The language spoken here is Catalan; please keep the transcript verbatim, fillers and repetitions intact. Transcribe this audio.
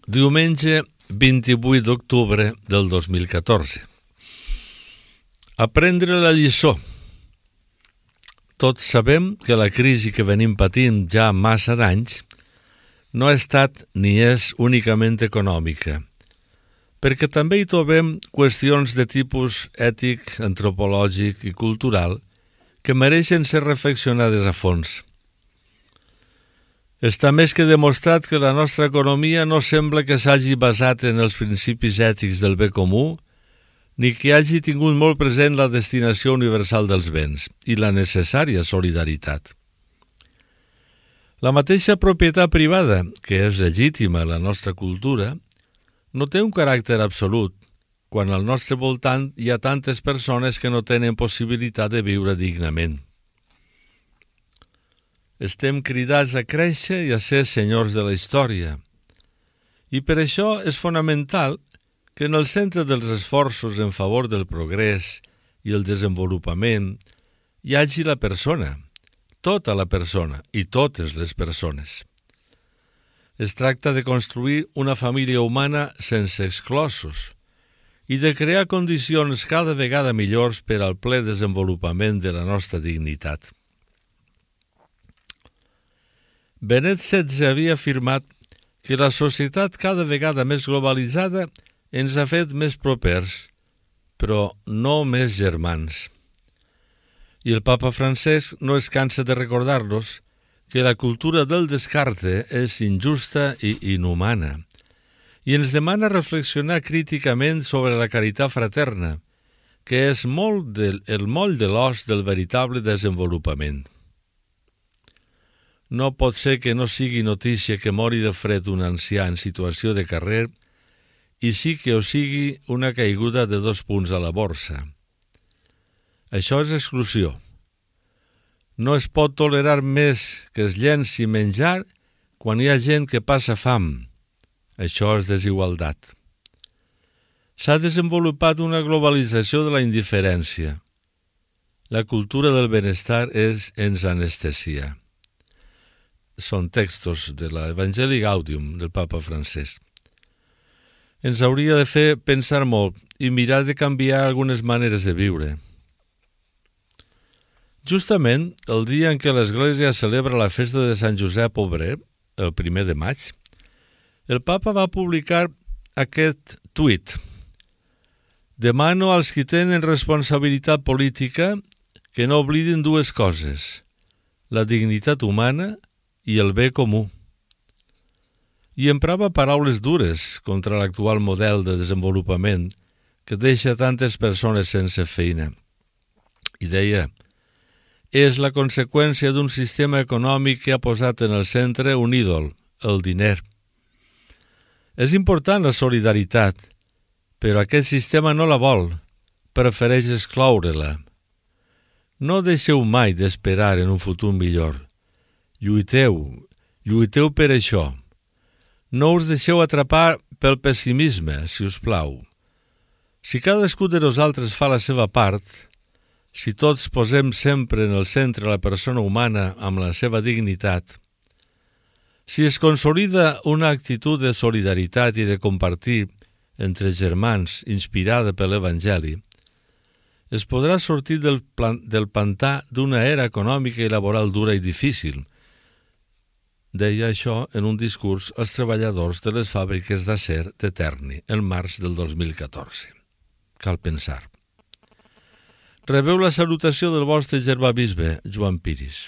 Diumenge vint-i-vuit d'octubre del dos mil catorze. Aprendre la lliçó. Tots sabem que la crisi que venim patint ja massa d'anys no ha estat ni és únicament econòmica, perquè també hi trobem qüestions de tipus ètic, antropològic i cultural que mereixen ser reflexionades a fons. Està més que demostrat que la nostra economia no sembla que s'hagi basat en els principis ètics del bé comú, ni que hagi tingut molt present la destinació universal dels béns i la necessària solidaritat. La mateixa propietat privada, que és legítima a la nostra cultura, no té un caràcter absolut, quan al nostre voltant hi ha tantes persones que no tenen possibilitat de viure dignament. Estem cridats a créixer i a ser senyors de la història. I per això és fonamental que en el centre dels esforços en favor del progrés i el desenvolupament hi hagi la persona, tota la persona i totes les persones. Es tracta de construir una família humana sense exclosos i de crear condicions cada vegada millors per al ple desenvolupament de la nostra dignitat. Benet setze havia afirmat que la societat cada vegada més globalitzada ens ha fet més propers, però no més germans. I el papa Francesc no es cansa de recordar-nos que la cultura del descarte és injusta i inhumana, i ens demana reflexionar críticament sobre la caritat fraterna, que és molt del, el moll de l'os del veritable desenvolupament. No pot ser que no sigui notícia que mori de fred un ancià en situació de carrer i sí que ho sigui una caiguda de dos punts a la borsa. Això és exclusió. No es pot tolerar més que es llenci menjar quan hi ha gent que passa fam. Això és desigualtat. S'ha desenvolupat una globalització de la indiferència. La cultura del benestar és ens anestesia. Són textos de l'Evangeli Gaudium del papa Francesc. Ens hauria de fer pensar molt i mirar de canviar algunes maneres de viure. Justament el dia en què l'Església celebra la festa de Sant Josep Obrer, el primer de maig, el papa va publicar aquest tuit. Demano als qui tenen responsabilitat política que no oblidin dues coses, la dignitat humana i el bé comú. I emprava paraules dures contra l'actual model de desenvolupament que deixa tantes persones sense feina. I deia, és la conseqüència d'un sistema econòmic que ha posat en el centre un ídol, el diner. És important la solidaritat, però aquest sistema no la vol, prefereix excloure-la. No deixeu mai d'esperar en un futur millor. Lluiteu, lluiteu per això. No us deixeu atrapar pel pessimisme, si us plau. Si cadascú de nosaltres fa la seva part, si tots posem sempre en el centre la persona humana amb la seva dignitat, si es consolida una actitud de solidaritat i de compartir entre germans inspirada per l'Evangeli, es podrà sortir del, plan, del pantà d'una era econòmica i laboral dura i difícil. Deia això en un discurs als treballadors de les fàbriques d'acer de Terni, el març del dos mil catorze. Cal pensar. Rebeu la salutació del vostre germà bisbe, Joan Piris.